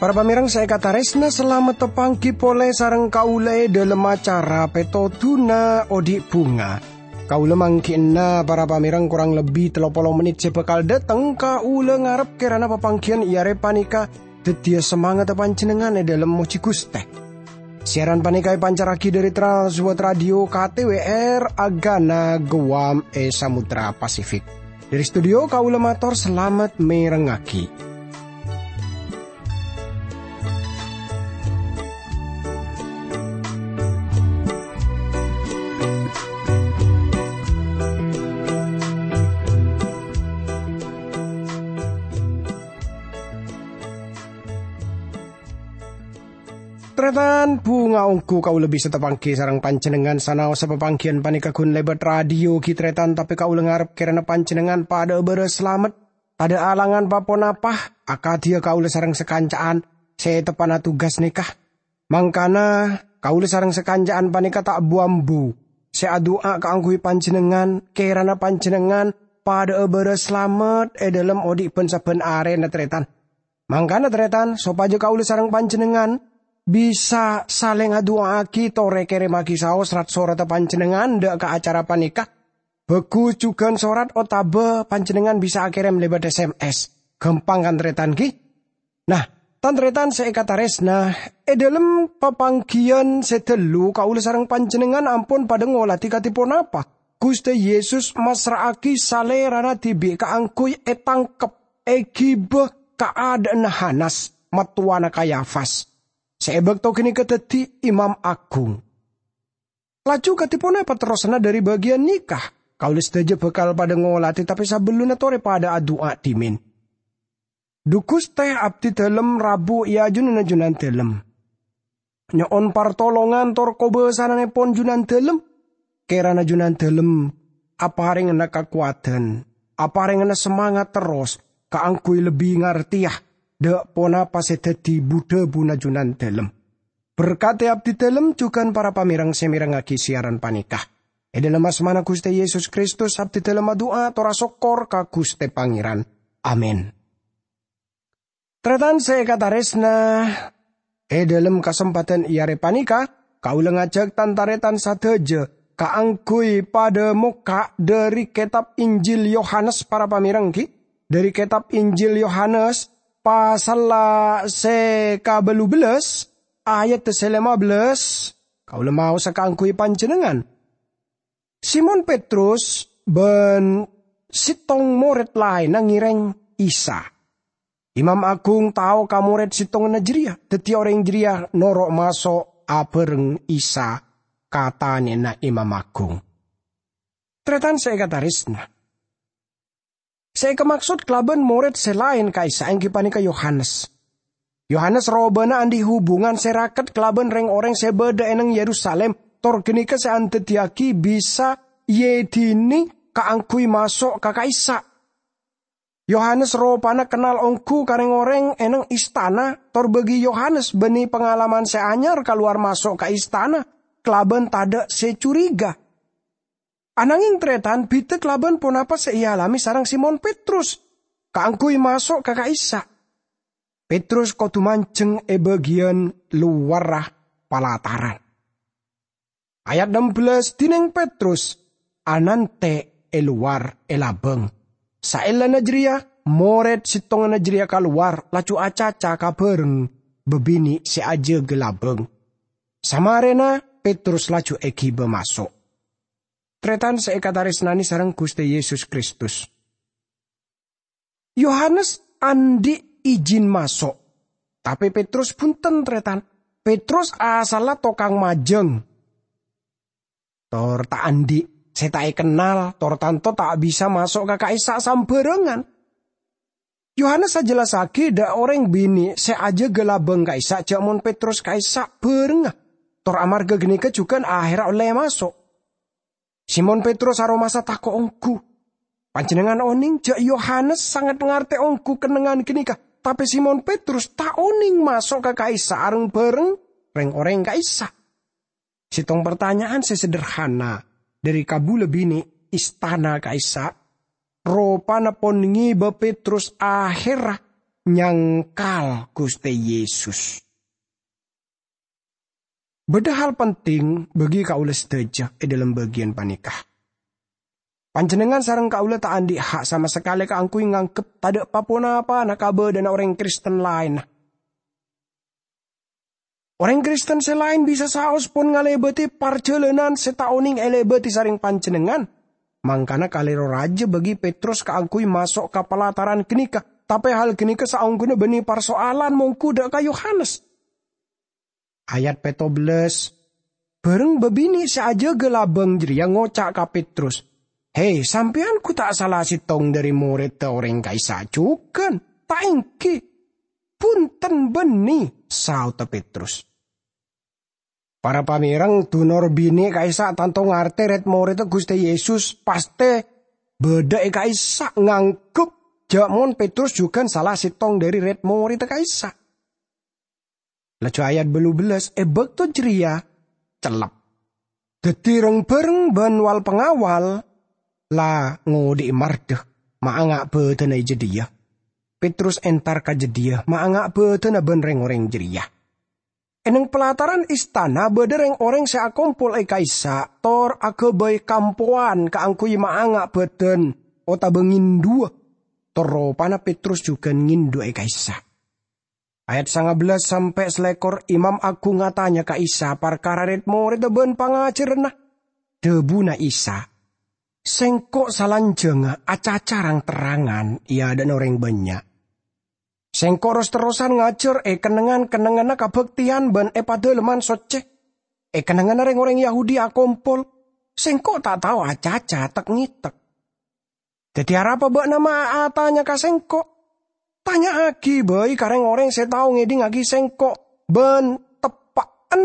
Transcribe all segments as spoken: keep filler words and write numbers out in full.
Para pamèrèng sè èkatarèsna, salamet tapangghi polè sareng kaulâ è dhâlem acara Pètodhuna Odi' Bhunga. Kaulâ mangghi'na para pamèrèng korang lebbi tello polo mennit sè bhâkal dhâteng. Kaulâ ngarep kèrana papangghiyân è arè panèka dhâddhiyâ samangatta panjhennengngan è dhâlem mojhi Ghustè. Siaran panèka èpancarraghi dhâri Trans World Radio K T W R Agana Guam è Samudra Pasifik. Dhâri studio kaulâ mator salamet mèrengngaghi. Tarètan, bhunga ongghu kaulâ bisa tapangghi sareng panjhennengngan sanaossa papangghiyân panèka ghun lèbât radio ghi, tarètan, tapè kaulâ ngarep kèrana panjhennengngan padhâ'â bârâs salamet, tadhâ' alangan pa-ponapa, akadhiyâ kaulâ sareng sakanca'an sè teppa'na tugas nèka. Mangkana, kaulâ sareng sakanca'an panèka ta' bu-ambu sè adu'a kaangghuy panjhennengngan, kèrana panjhennengngan padhâ'â bârâs salamet è dhâlem odi' bân-sabbhân arèna, tarètan. Mangkana, tarètan, sopajâ kaulâ sareng panjhennengngan bisa salèng adu'a'aghi torè kèrèmmaghi saos rat-soratta panjhennengngan dâ' ka acara panèka, bhâghus jhughân sorat otabâ panjhennengngan bisa akèrèm lèbât S M S. Ghâmpang, kan, tarètan, ghi? Nah, tan-tarètan sè èkatarèsna, è dhâlem papangghiyân sè ghâllu kaulâ sareng panjhennengngan ampon padhâ ngolatè kadhi ponapa Ghustè Yesus massra'aghi Salèrana dhibi' kaangghuy ètangkep, èghibâ ka adâ'na Hanas, mattowana Kayafas, sè è bâkto ghânèka dhâddhi Imam Aghung. Laju kadhi ponapa terrosanna dhâri bâgiyân nèka? Kaulâ sadhâjâ bhâkal padhâ ngolatè, tapè sabellunna torè padhâ adu'a dhimèn. Dhu Ghustè, abdhi dhâlem rabu è ajunanna Junandhâlem. Nyo'on partolongan tor kobâsananèpon Junandhâlem. Kèrana Junandhâlem aparèngana kakowadhân, aparèngana samangat terros kaangghuy lebbi ngartèya dâ' ponapa sè dhâddhi bu-dhâbuna Junandhâlem. Berkadhi abdhi dhâlem jhughân para pamèrèng sè mèrengngaghi siaran panèka. È dhâlem asmana Ghustè Yesus Kristus, abdhi dhâlem adu'a tor asokkor ka Ghustè Pangèran. Amin. Tarètan sè èkatarèsna, è dhâlem kasempadhân è arè panèka, kaulâ ngajhâk tan-tarètan sadhâjâ kaangghuy padhâ mokka' dhâri kètab Injil Yohanes, para pamèrèng, ghi, dhâri kètab Injil Yohanes, pasalla sè kabâllu bellâs, ayat sè lèma bellâs, kaulâ maosa kaangghuy panjhennengngan. Simon Petrus bân sèttong morèd laènna ngèrèng Isa. Imam Aghung tao ka morèd sèttonganna jârèya, dhâddhi orèng jârèya noro' maso' abhâreng Isa ka tanèna Imam Aghung. Tarètan sè èkatarèsna, sè èkamaksod kalabân morèd sè laèn ka'issa' èngghi panèka Yohanes. Yohanes robâna andi' hubungan sè raket kalabân rèng-orèng sè bâdâ è neng Yerusalim, tor ghânèka sè andhâddhiyâghi bisa èèdhinè kaangghuy maso' ka ka'issa'. Yohanes ropana kennal ongghu ka rèng-orèng è neng istana, tor bagi Yohanes bânnè pangalaman sè anyar kalowar maso' ka istana kalabân tadâ' sè curiga. Anangèng, tarètan, bhidhâ kalabân ponapa sè èalamè sareng Simon Petrus kaangghuy maso' ka ka'issa'. Petrus kodhu manjheng è bâgiyân lowarra palataran. Ayat ennem bellâs, dhinèng Petrus anantè' è lowar è labâng. Saellana jârèya, morèd sèttonganna jârèya kalowar, laju acaca ka bhâreng bâbinè' sè ajâgâ labâng. Samarèna, Petrus laju èghibâ maso'. Tarètan sè èkatarèsnanè sareng Ghustè Yesus Kristus. Yohanes andi' ijin maso', tapè Petrus bhunten, tarètan. Petrus asalla tokang majâng, tor ta' andi' sè ta' èkennal, tor tanto ta' bisa maso' ka ka'issa' sambhârângan. Yohanes ajellassaghi dâ' orèng binè' sè ajâgâ labâng ka'issa' jhâ' mon Petrus ka'issa' bhârengnga, tor amarghâ ghânèka jhughân ahèrra ollè maso'. Simon Petrus aromasa tako' ongghu. Panjhennengngan onèng jhâ' Yohanes sanget ngartè ongghu kennengngan ghânèka, tapè Simon Petrus ta' onèng maso' ka ka'issa' reng-bhâreng rèng-orèng ka'issa'. Sèttong partanya'an sè sederhana dhâri kabulâ binè' istana ka'issa', ropana pon ngèbâ Petrus ahèrra nyangkal Ghustè Yesus. Bâdâ hal penting bagi kaulâ sadhâjâ è dhâlem bâgiyân panèka. Panjhennengngan sareng kaulâ ta' andi' ha' sama sakalè kaangghuy nganggep tadâ' pa-ponapana kabâdâ'ânna orèng Kristen laènna. Orèng Kristen sè laèn bisa saos pon ngalèbâdhi parjhâlânan sè ta' onèng èlèbâdhi sareng panjhennengngan. Mangkana kalèro rajâ bagi Petrus kaangghuy maso' ka palataran ghânèka, tapè hal ghânèka saongghuna bânnè parsoalan mongghu dâ' ka Yohanes. Ayat pètto bellâs, bhâreng bâbinè' sè ajâgâ labâng jârèya ngoca' ka Petrus, "He, sampèyan ghu ta' sala sèttong dhâri morèdda orèng ka'issa' jhughân, ta' èngghi?" "Bhunten bânnè," saodhâ Petrus. Para pamèreng, dunor binè' ka'issa' tanto ngartè rèd-morèdda Ghustè Yesus pastè bâdâ è ka'issa' nganggep jâ' mon Petrus jhughân sala sèttong dhâri rèd-morèdda ka'issa'. Laju ayat bâllu bellâs, è bâkto jârèya cellep. Dhâddhi reng-bhâreng bân wal-pangawal la ngodhi'i mardhâ maanga' bâdâna è jâdiyâ. Petrus entar ka jâdiyâ maanga' bâdâna bân rèng-orèng jârèya. È neng palataran istana bâdâ rèng-orèng sè akompol è ka'issa' tor aghâbây kampowan kaangghuy maanga' bâdân otabâ ngèndhuwâ, tor ropana Petrus jhughân ngèndhu è ka'issa'. Ayat sanga bellâs sampè' salèkor, Imam Aghung atanya ka Isa parkara rèd-morèdda bân pangajhârânna. Dhâbuna Isa, "Sèngko' salanjhângnga acaca rang-terrangan è adâ'na orèng bânnya'. Sèngko' ros-terrosan ngajhâr è kennengngan-kennengnganna kabhâktèyan bân è Padalemman Soccè, è kennengnganna rèng-orèng Yahudi akompol. Sèngko' ta' tao acaca tek-ngètek. Dhâddhi arapa bâ'na ma' atanya ka sèngko'? Tanya'aghi bhâi ka rèng-orèng sè tao ngèdhingngaghi sèngko' bân teppa'en,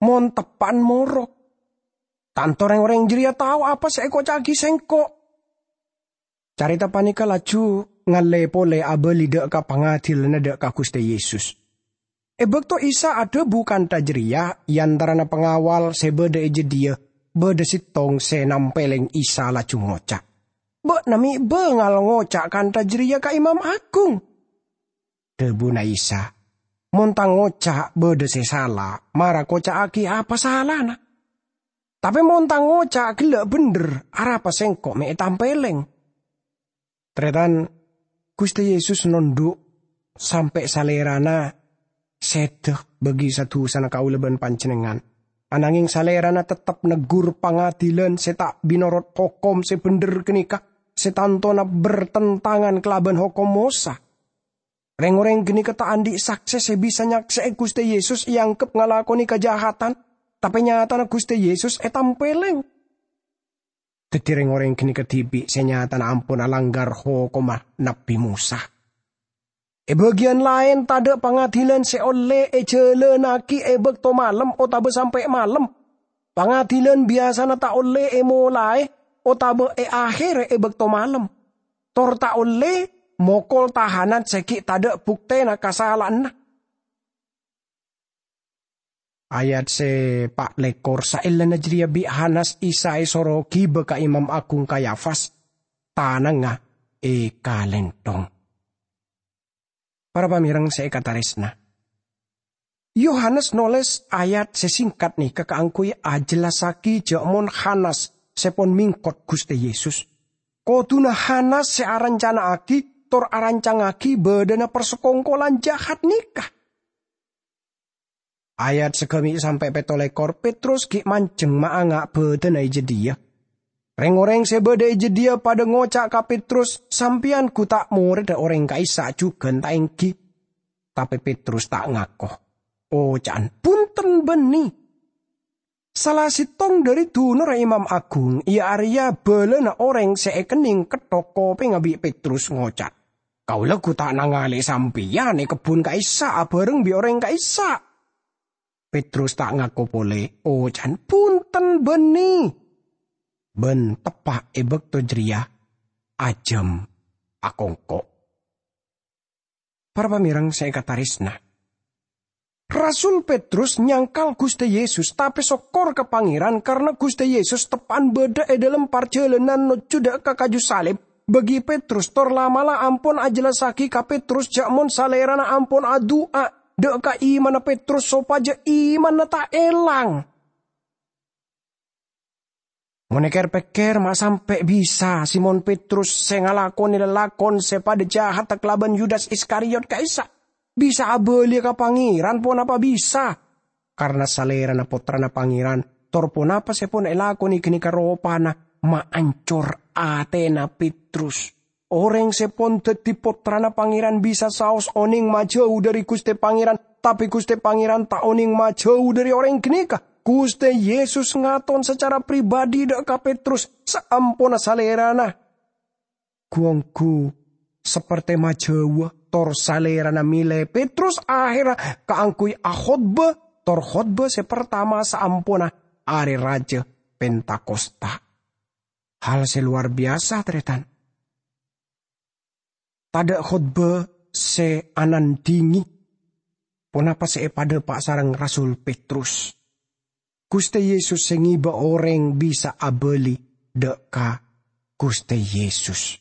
mon teppa'en moro. Tanto rèng-orèng jârèya tao apa sè èkoca'aghi sèngko'." Carèta panèka laju ngallè polè abâli dâ' ka pangadilanna dâ' ka Ghustè Yesus. È bâkto Isa adhâbu kantha jârèya, è antarana pangawal sè bâdâ è jâdiyâ, bâdâ sèttong sè nampèlèng Isa laju ngoca', "Bâ'na mè' bângal ngoca' kantha jârèya ka Imam Aghung." Dhâbuna Isa, "Mon Tang oca' bâdâ sè sala, mara koca'aghi apa salana. Tapè mon Tang oca' ghellâ' bhendher, arapa Sèngko' mè' ètampèlèng?" Tarètan, Ghustè Yesus nondhu' sampè' Salèrana sèdhâ bagi sa-dusana kaulâ bân panjhennengngan. Ananghèng Salèrana tettep neggur pangadilan sè ta' mènorot hokom sè bhendher ghânèka, sè tantona bertentangan kalabân hokom Mosa. Rèng-orèng ghânèka ta' andi' saksè sè bisa nyaksè'è Ghustè Yesus èangghep ngalakonè kajahadhân, tapè nyatana Ghustè Yesus ètampèlèng. Dhâddhi rèng-orèng ghânèka dhibi' sè nyatana ampon alangghâr hokomma Nabbhi Mosa. È bâgiyân laèn, tadâ' pangadilan sè ollè èjhâlânnaghi è bâkto malem otabâ sampè' malem. Pangadilan biyasana ta' ollè èmolaè otabâ èakhèrè è bâkto malem, tor ta' ollè mokol tahanan sè ghi' tadâ' buktèna kasala'anna. Ayat sè pa' lèkor, saellana jârèya bi' Hanas Isa èsoro ghibâ ka Imam Aghung Kayafas, tanangnga èkalènthong. Para pamèreng sè èkatarèsna, Yohanes nolès ayat sè sèngkat nèka kaangghuy ajhellassaghi jâ' mon Hanas sè pon mèngkot Ghustè Yesus. Kodhuna Hanas sè arancana'aghi tor arancangngaghi bâdâna parsakongkolan jahat nèka. Ayat sagâmè' sampè' pètto lèkor, Petrus ghi' manjheng maanga' bâdâna è jâdiyâ. Rèng-orèng sè bâdâ è jâdiyâ padâ ngoca' ka Petrus, "Sampèyan ghu ta' morèdda orèng ka'issa' jhughân, ta' ènggi?" Tapè Petrus ta' ngako. Oca'an, "Bhunten bânnè." Sala sèttong dhâri dunorra Imam Aghung, iyâ arèya bâlâna orèng sè èkennèng ketthok kopèngnga bi' Petrus ngoca', "Kaulâ ghu ta' nangalè sampèyan è kebbhun ka'issa' abhâreng bi' orèng ka'issa'." Petrus ta' ngako polè, oca'an, "Bhunten bânnè." Bân teppa' è bâkto jârèya ajâm akongko'. Para pamèreng sè èkatarèsna, Rasul Petrus nyangkal Guste Yesus, tape sokkor ka Pangeran karna Guste Yesus teppa'an badha e dhalem parjalanan nojju dha' ka kaju salib. Bagi Petrus tor la'-mala' ampon ajellasagi ka Petrus ja' mon Salerana ampon adu'a dha' ka imanna Petrus sopaja imanna ta' elang. Mon eker-pekker, ma' sampe' bisa Simon Petrus se ngalakone lalakon se padha jahatta kalaban Yudas Iskariot ka'issa' bisa abaliya ka Pangeran? Ponapa bisa? Karna Salerana Pottrana Pangeran, tor ponapa se pon elakone ganeka ropana maancor atena Petrus. Oreng se pon daddi pottrana Pangeran bisa saos oneng majau dhari Guste Pangeran, tape Guste Pangeran ta' oneng majau dhari oreng ganeka. Guste Yesus ngaton sacara pribadi dha' ka Petrus saamponna Salerana gu-onggu saperte majauwa, tor Salerana mele Petrus ahera kaangguy akhotba, tor khotba se partama saamponna Are Raja Pentakosta. Hal se lowar biyasa, taretan. Tadha' khotba se anandhingi ponapa se epadhapa' sareng Rasul Petrus. Guste Yesus se ngeba oreng bisa abali dha' ka Guste Yesus.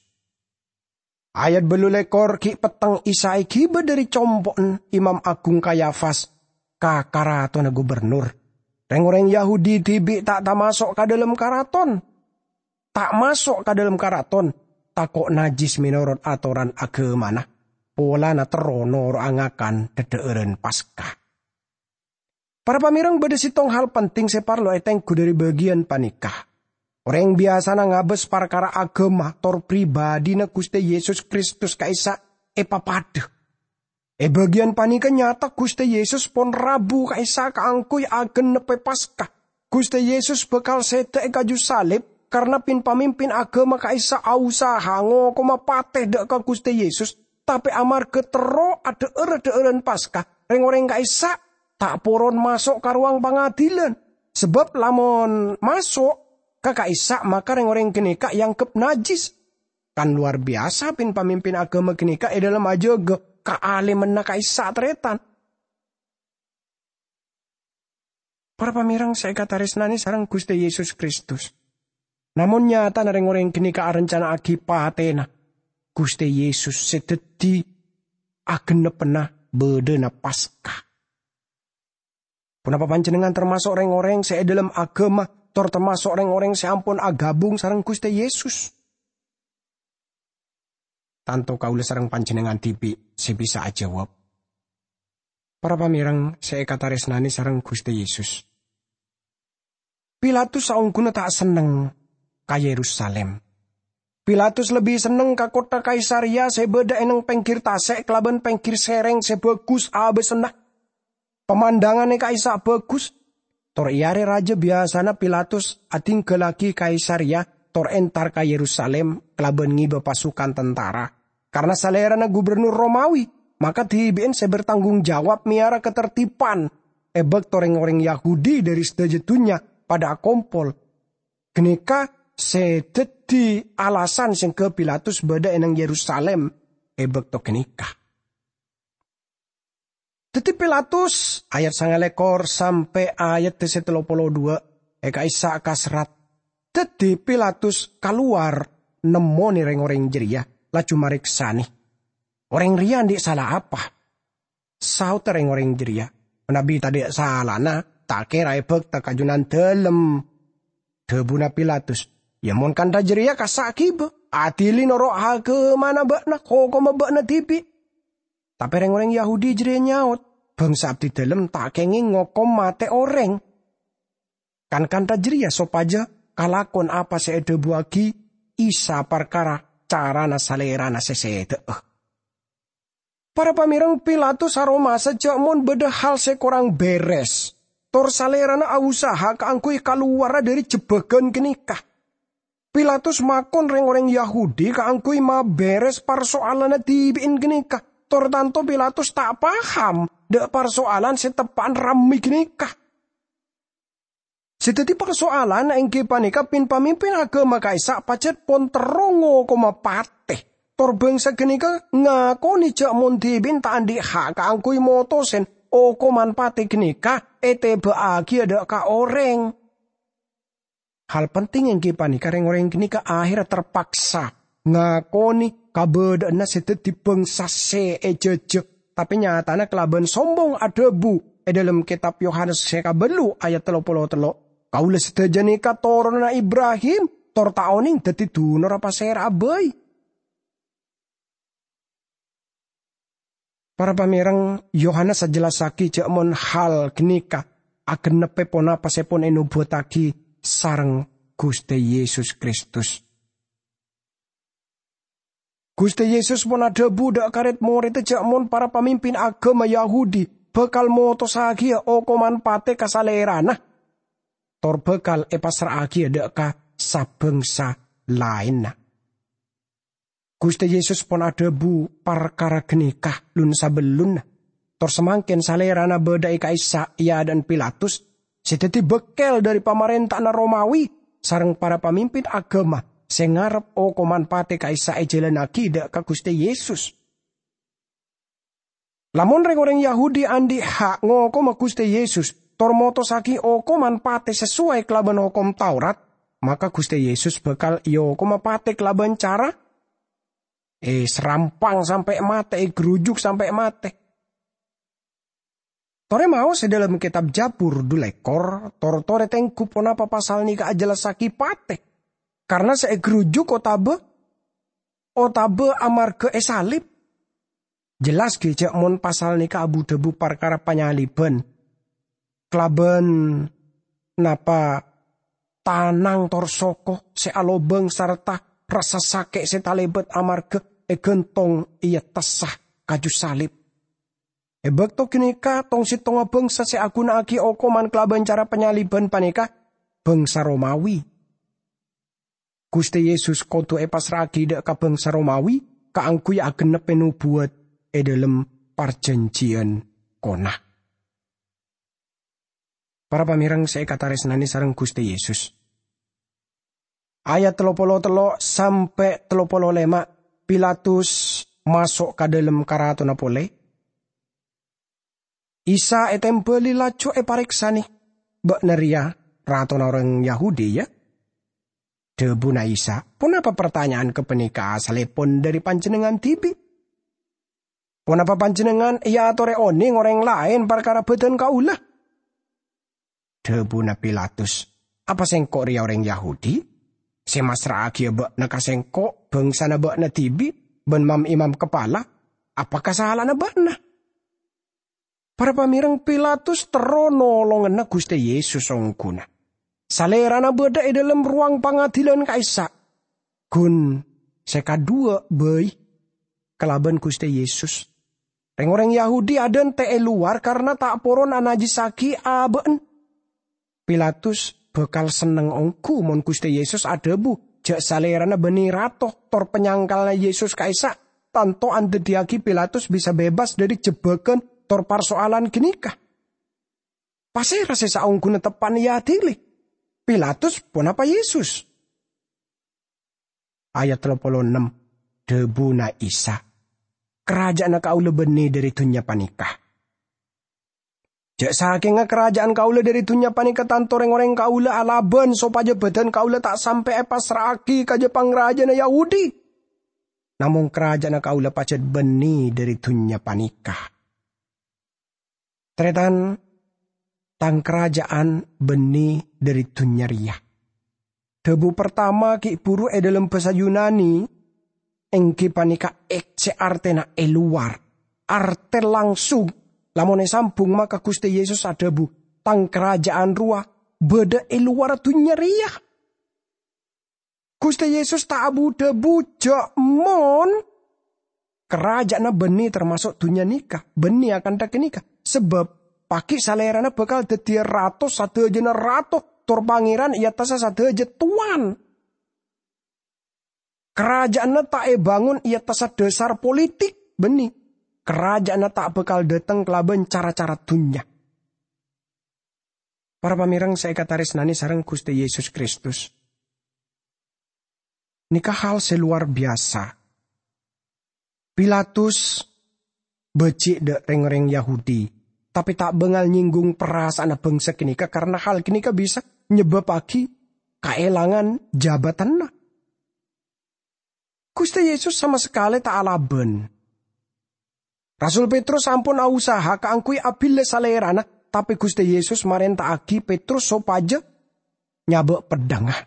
Ayat ballu lekor, gi' petteng Isa egiba dhari compo'en Imam Agung Kayafas ka karatonna gubernur. Reng-oreng Yahudi dibi' ta' tamaso' ka dhalem karaton. Ta' maso' ka dhalem karaton, tako' najjis menorot atoran agamana, polana terro noro'a ngakan dhadha'aran Paska. Para pamereng, badha settong hal penting se parlo etenggu dhari bagiyan paneka. Oreng biyasana ngabas parkara agama tor pribadina Guste Yesus Kristus ka'issa' epapadha. E bagiyan paneka nyata Guste Yesus pon rabu ka'issa' kaangguy agenneppe Paska. Guste Yesus bakal seda e kaju salib karna pin-pamimpin agama ka'issa' ausaha ngokoma pate dha' ka Guste Yesus, tape amarga terro adha'ar-dha'aran Paska, reng-oreng ka'issa' ta' poron maso' ka rowang pangadilan. Sabab lamon maso' ka ka'issa', maka reng-oreng ganeka eanggep najjis. Kan lowar biyasa pin-pamimpin agama ganeka e dhalem ajaga kaalemanna ka'issa' taretan. Para pamereng se ekataresnane sareng Guste Yesus Kristus. Namon nyatana reng-oreng ganeka arencana'agi patena Guste Yesus se daddi agenneppena badhana Paska. Ponapa panjennengngan tamaso' reng-oreng se e dhalem agama, tor tamaso' reng-oreng se ampon agabung sareng Guste Yesus? Tanto kaula sareng panjennengngan dibi' se bisa ajawab. Para pamereng se ekataresnane sareng Guste Yesus. Pilatus saongguna ta' senneng ka Yerusalim. Pilatus lebbi senneng ka kottha Kaisareya se badha e neng penggir tase' kalaban penggir sereng se bagus abasanna. Pamandangane ka'issa' bagus. Tor e are raja biyasana Pilatus adinggallagi Kaisareya tor entar ka Yerusalim kalaban ngeba pasukan tentara. Karna salerana gubernur Romawi, maka dibi'en se bertanggung jawab meyara katertiban e bakto reng-oreng Yahudi dhari sadaja dunnya padha akompol. Ganeka se daddi alasan sengga Pilatus badha e neng Yerusalim e bakto ganeka. Daddi Pilatus, ayat sangalekor sampe' ayat se tello polo dhuwa', e ka'issa' kaserrat. Daddi Pilatus kalowar nemmone reng-oreng jareya, laju mareksane, "Oreng reya andhi' sala apa?" Saodda reng-oreng jareya, "Manabi tadha' salana, ta' kera ebakta ka Junandalem." Dhabuna Pilatus, "Ya, mon kantha jareya, kassa' giba, adili noro' agamana ba'na, hokomma ba'na dibi'." Tape reng-oreng Yahudi jareya nyaot, "Bangsa abdidalem ta' kengeng ngokom mate oreng. Kan kantha jareya sopaja kalakon apa se edhabuwagi Isa parkara carana Salerana se seda'a." Para pamereng, Pilatus aromasa ja' mon badha hal se korang beres, tor salerana ausaha kaangguy kalowarra dhari jebbagan ganeka. Pilatus makon reng-oreng Yahudi kaangguy maberes parso'alanna dibi'en ganeka, tor tanto Pilatus ta' paham dha' parso'alan se teppa'an ramme ganeka. Se daddi parso'alan enggi paneka pin-pamimpin agama ka'issa' pajat pon terro ngokoma pate. Tor bangsa ganeka ngakone ja' mon dibi'en ta' andhi' ha' kaangguy motosen okoman pate ganeka eteba'agiya dha' ka oreng. Hal penting enggi paneka reng-oreng ganeka aherra terpaksa ngakone kabadha'anna se daddi bangsa se ejaja, tape nyatana kalaban sombong adhabu e dhalem Ketab Yohanes se kabellu ayat tello polo tello, "Kaula sadaja neka toronanna Ibrahim, tor ta' oneng daddi dunorra pasera'a bai." Para pamereng, Yohanes ajellessagi ja' mon hal ganeka agenneppe ponapa se pon enobuwattagi sareng Guste Yesus Kristus. Guste Yesus pon adhabu dha' ka red-moredda ja' mon para pamimpin agama Yahudi bakal motossagiya okoman pate ka Salerana, tor bakal epassra'agiya dha' ka sa-bangsa laenna. Guste Yesus pon adhabu parkara ganeka lun-sabellunna. Tor samangken Salerana badha e ka'issa' e adha'na Pilatus, se daddi bakkel dhari pamarenta'anna Romawi, sareng para pamimpin agama se ngarep okoman pate ka'issa' ejalannagi dha' ka Guste Yesus. Lamon reng-oreng Yahudi andhi' ha' ngokoma Guste Yesus, tor motossagi okoman pate sesuai kalaban Hokom Taurat, maka Guste Yesus bakal eokoma pate kalaban cara eserampang sampe' mate, egarujuk sampe' mate. Tore maos e dhalem Ketab Jabur dhu lekkor, tor-tore tenggu ponapa pasal neka ajellessagi pate, karna se egarujuk otaba, otaba amarga esalib. Jelas gi ja' mon pasal neka abu-dhabu parkara panyaliban, kalaban napa tanang tor soko se alobang sarta rassa sake' se talebat amarga egantong e attassa kaju salib. E bakto ganeka, tong-settongnga bangsa se aguna'agi okoman kalaban cara panyaliban paneka bangsa Romawi. Guste Yesus kodu epassra'agi dha' ka bangsa Romawi kaangguy agenneppe nobuwat e dhalem Parjanjiyan Kona. Para pamereng se ekataresnane sareng Guste Yesus. Ayat tello polo tello sampe' tello polo lema, Pilatus maso' ka dhalem karatona pole. Isa etembali laju epareksane, "Ba'na reya ratona oreng Yahudi, ya?" Dhabuna Isa, "Ponapa partanya'an gapaneka asallepon dhari panjennengngan dibi'? Ponapa panjennengngan eatore oneng oreng laen parkara badan kaula?" Dhabuna Pilatus, "Apa sengko' reya oreng Yahudi? Se massra'agiya ba'na ka sengko' bangsana ba'na dibi' ban mam-imam kapala? Apa kasala'anna ba'na?" Para pamereng, Pilatus terro nolongana Guste Yesus ongguna. Salerana badha e dhalem rowang pangadilan ka'issa'. Gun se kadhuwa bai kalaban Guste Yesus. Reng-oreng Yahudi adhante e lowar karna ta' poron anajjissagi aba'na. Pilatus bakal senneng onggu mon Guste Yesus adhabu ja' Salerana banne Rato tor panyangkalla Yesus ka'issa', tanto andaddiyagi Pilatus bisa bebas dhari jebbagan tor parso'alan ganeka. Pasera se saongguna teppa'na eadili? Pilatus ponapa Yesus? Ayat tello polo ennem, dhabuna Isa, "Karaja'anna kaula banne dhari dunnya paneka. Ja' sakenga karaja'an kaula dhari dunnya paneka, tanto reng-oreng kaula alaban sopaja badan kaula ta' sampe' epassra'agi ka ja-pangrajana Yahudi. Namong karaja'anna kaula pajat banne dhari dunnya paneka." Taretan, "Tang karaja'an banne dhari dunnya reya." Dhabu partama gi' buru e dhalem basa Yunani, enggi paneka ek se artena e lowar, arte langsung. Lamon esambung, maka Guste Yesus adhabu, "Tang karaja'an rowa badha e lowarra dunnya reya." Guste Yesus ta' abu-dhabu ja' mon karaja'anna banne, termaso' dunnya neka, banne akantha ganeka. Sabab pagi' Salerana bakal daddiya Rato sadajana rato, tor Pangeran e attassa sadaja towan. Karaja'anna ta' ebangon e attassa dhasar politik, banne. Karaja'anna ta' bakal dhateng kalaban cara-cara dunnya. Para pamereng se ekataresnane sareng Guste Yesus Kristus, neka hal se lowar biyasa. Pilatus baji' dha' reng-oreng Yahudi, tape ta' bangal nyenggung parasa'anna bangsa ganeka, karana hal ganeka bisa nyebbabbhagi kaelangan jabatanna. Guste Yesus sama sakale ta' alaban. Rasul Petrus ampon ausaha kaangguy abilla Salerana, tape Guste Yesus marenta'agi Petrus sopaja nyaba' peddhangnga.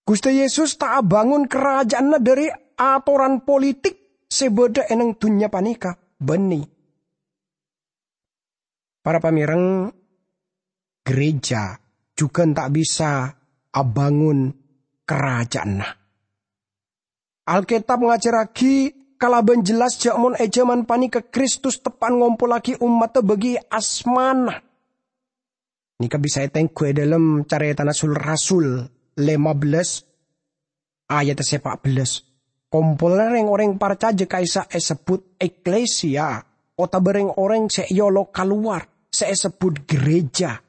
Guste Yesus ta' abangon karaja'anna dhari atoran politik se badha e neng dunnya paneka, banne. Para pamereng, gereja jugan ta' bisa abangon karaja'anna. Alketab ngajarragi kalaban jelas ja' mon e jaman paneka Kristus teppa'an ngompollagi ommadda bagi asmana. Neka bisa etenggu e dhalem Caretana Sul-Rasul lema bellas ayat se pa' bellas. Kompolanna reng-oreng parcaja ka'issa' esebbut eklesia, otaba reng-oreng se eolok kalowar, se esebbut gereja.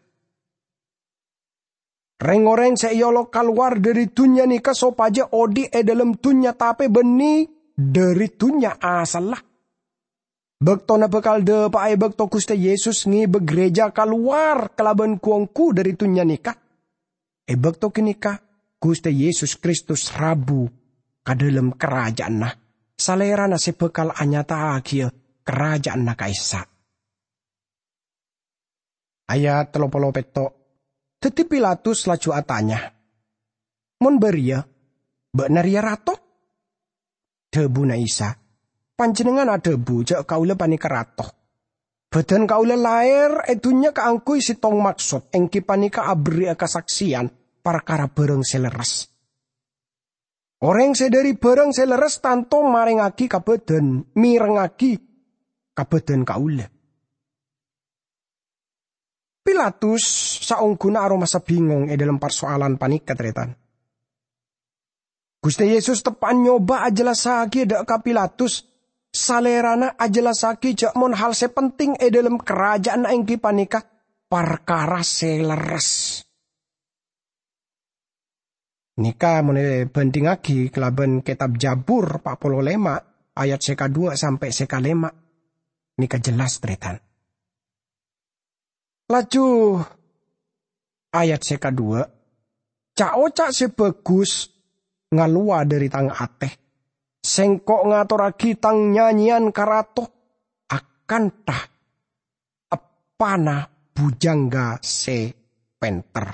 Reng-oreng se eolok kalowar dhari dunnya neka sopaja odhi' e dhalem dunnya tape banne dhari dunnya asalla. Baktona bakal dhapa'a e bakto Guste Yesus ngeba gereja kalowar kalaban gu-onggu dhari dunnya neka. E bakto ganeka, Guste Yesus Kristus rabu ka dhalem karaja'anna, Salerana se bakal anyata'agiya karaja'anna ka'issa'. Ayat tello polo petto'. Daddi Pilatus laju atanya, "Mon bariya, ba'na reya rato?" Dhabuna Isa, "Panjennengngan adhabu ja' kaula paneka rato. Badan kaula laer e dunnya kaangguy settong maksod, enggi paneka aberri'a kasakseyan parkara barang se lerres. Oreng se dhari barang se lerres tanto marengngagi ka badan, mirengngagi ka badan kaula." Pilatus saongguna aromasa bingong e dhalem parsoalan paneka, taretan. Guste Yesus teppa'an nyoba ajellassagiya dha' ka Pilatus, Salerana ajellassagiya ja' mon hal se penting e dhalem karaja'anna enggi paneka parkara se lerres. Neka mon ebandhingngagi kalaban Ketab Jabur pa' polo lema ayat se kadhuwa sampe' se kalema, neka jelas, taretan. Laju ayat se kadhuwa, "Ca'-oca' se bagus ngalowa dhari tang ate. Sengko' ngatorragi tang nyanyeyan ka rato akantha eppana bujangga se penter.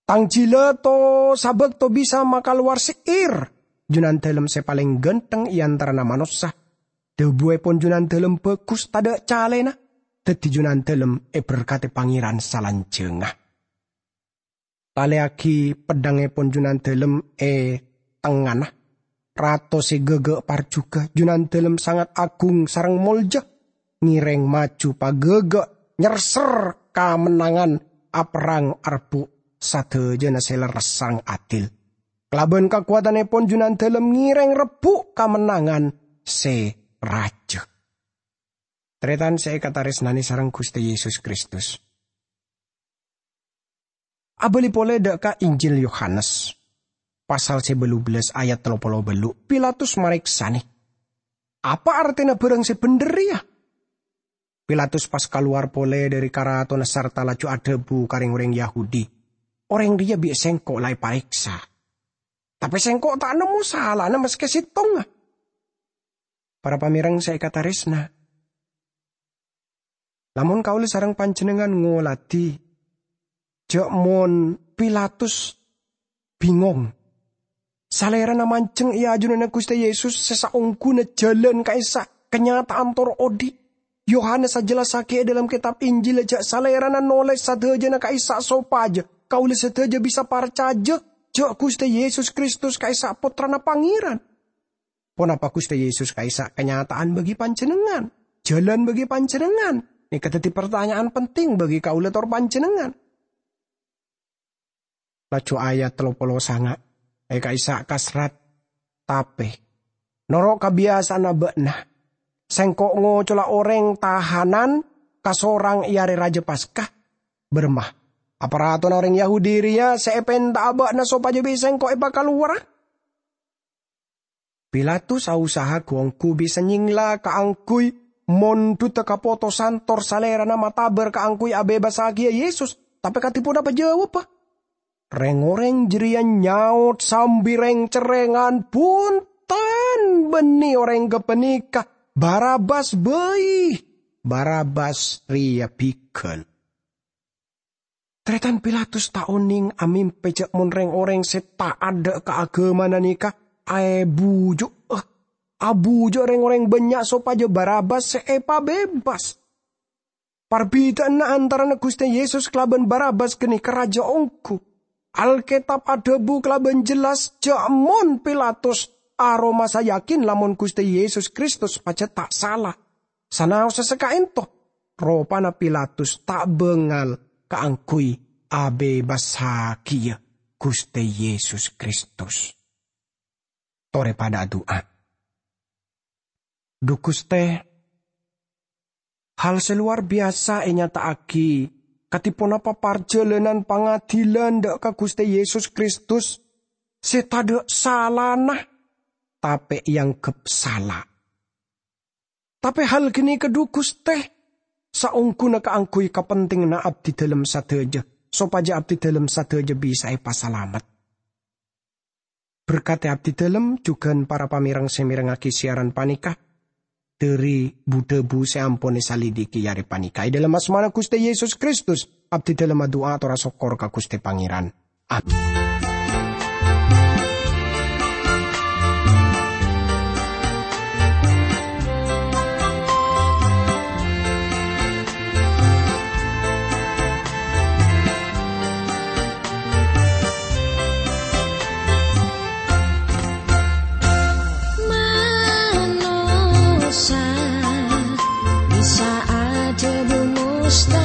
Tang jila to-, sabakto bisa makalowar se'ir, Junandalem se paleng ganteng e antarana manossa. Dhabuepon Junandalem bagus tadha' calena, daddi Junandalem eberkate Pangeran salanjangnga. Taleyagi peddhangngepon Junandalem e tengngana. Rato se gaga parjuga, Junandalem sangat agung sareng molja, ngereng maju pagaga nyerser kamennangan aperrang arebbu' sadajana se lerres sareng adil. Kalaban kakowadannepon Junandalem ngereng rebbu' kamennangan se raja." Taretan se ekataresnane sareng Guste Yesus Kristus. Abali pole dha' ka Injil Yohanes, pasal se bâllu bellas ayat tello polo bâllu', Pilatus mareksane, "Apa artena barang se bendher reya?" Pilatus pas kalowar pole dhari karatona sarta laju adhabu ka reng-oreng Yahudi, "Oreng reya bi' sengko' la epareksa, tape sengko' ta' nemmo salana maske settonga. Para pamereng se ekataresna, lamon kaula sareng panjennengngan ngoladi ja' mon Pilatus bingong, Salerana manjeng e ajunanna Guste Yesus se saongguna jalan ka'issa' kanyata'an tor odhi'. Yohanes ajellassagi e dhalem ketab Injil ja' Salerana noles sadajana ka'issa' sopaja kaula sadaja bisa parcaja ja' Guste Yesus Kristus ka'issa' Pottrana Pangeran. Ponapa Guste Yesus ka'issa' kanyata'an bagi panjennengngan, jalan bagi panjennengngan? Neka daddi partanya'an penting bagi kaula tor panjennengngan. Laju ayat tello polo sanga', e ka'issa' kasrat, "Tape, noro' kabiyasa'anna ba'na, sengko' ngocola oreng tahanan kasorang e Are Raja Paska. Baramma, apa ratona oreng Yahudi reya se epenta'a ba'na sopaja bi' sengko' epakalowara?" Pilatus ausaha gu-onggu bisa nyengla kaangguy Mon dhutta kapotosan tor salèrana matabâr kaangghuy abebassaghiyâ Yesus, tapè kadhi ponapa jâwâbbhâ? Rèng-orèng jârèya nyaot sambi rèng-cerrèngan, "Bhunten, bânnè orèng ghâpanèka! Barabbas bhâi! Barabbas rèya bigâl!" Tarètan Pilatus ta' onèng amèmpè jâ' mon rèng-orèng sè ta' adâ' ka aghâmana nèka aèbuju'â, abuju'â rèng-orèng bânnya' sopajâ Barabbas sè èpabebas. Parbidhâ'ânna antarana Ghustè Yesus kalabân Barabbas ghânèka rajâ ongghu. Alkètab adhâbu kalabân jelas jâ' mon Pilatus aromasa yakin lamon Ghustè Yesus Kristus pajhât ta' sala. Sanaossa saka'ènto, ropana Pilatus ta' bângal kaangghuy abebassaghiyâ Ghustè Yesus Kristus. Torè padâ adu'a. Dhu Ghustè, hal sè lowar biyasa ènyata'aghi kadhi ponapa parjhâlânan pangadilan dâ' ka Ghustè Yesus Kristus sè tadâ' salana, tapè èangghep sala. Tapè hal ghânèka, dhu Ghustè, saongghuna kaangghuy kapentènganna abdidhâlem sadhâjâ, sopajâ abdidhâlem sadhâjâ bisa èpasalamet. Berkadhi abdidhâlem jhughân para pamèreng sè mèrengngaghi siaran panèka. Dhâri bu-dhâbu sè ampon èsalidiki arè panèka. È dhâlem asmana Ghustè Yesus Kristus, abdidhâlem adu'a ator asokkor ka Ghustè Pangèran. Amin. Manossa bisa adhâbu mustahil.